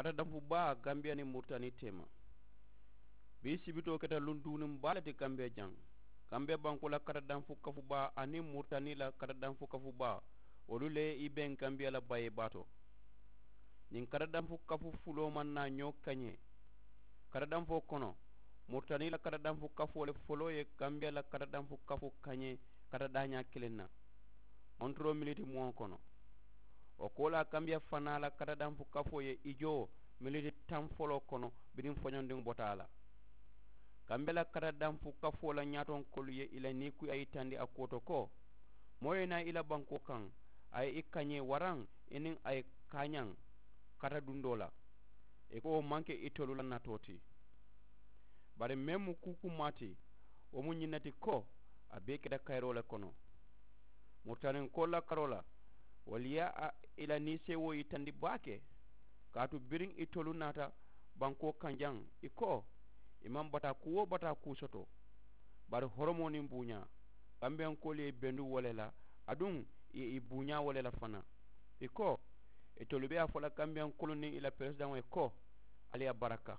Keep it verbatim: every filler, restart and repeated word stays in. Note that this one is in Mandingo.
Kata danfu baa gambiya niŋ muritani teema. Bii sibitoo keta luŋ duuniŋ baa le ti gambiya jaŋ. Gambiya bankoo la kata danfu kafu baa aniŋ muritani la kata danfu kafu baa, wolu le i beŋ gambiya la bayee baa to. Ñiŋ kata danfu kafu fuloo maŋ naa ñoo kañee. Kata danfoo kono, muritani la kata danfu kafoo le foloo ye gambiya la kata danfu kafu kañee kata daañaa kiliŋ na, montoroo militi muŋo kono. Wo koolaa gambiya fanaa la kata danfu kafoo ye i joo militi taŋ foloo kono biriŋ foñondiŋo bota a la. Gambiya la kata danfu kafoo la ñaatonkoolu ye i la niikuyaa yitandi a kuwo to ko, moo ye naa i la bankoo kaŋ, a ye i kañee waraŋ i niŋ a ye kaañaŋ kata dundoo la, i ko wo maŋ ke itolu la natoo ti. Bari meŋ mu kuu kummaa ti, wo mu ñiŋ ne ti ko a bee keta kayiroo le kono. Muritaninkoolu la karoo la, wolu ye a i la niiseewoo yitandi baake. Kaatu biriŋ itolu naata bankoo kaŋ jaŋ, i ko i maŋ bataa kuu woo bataa kuu soto. Bari horomoo niŋ buuñaa, gambiyankoolu ye i bendu wo le la, aduŋ i ye i buuñaa wo le la fanaa. I ko itolu be a fo la gambiyankoolu niŋ i la peresidaŋo ye ko, ali ye a baraka.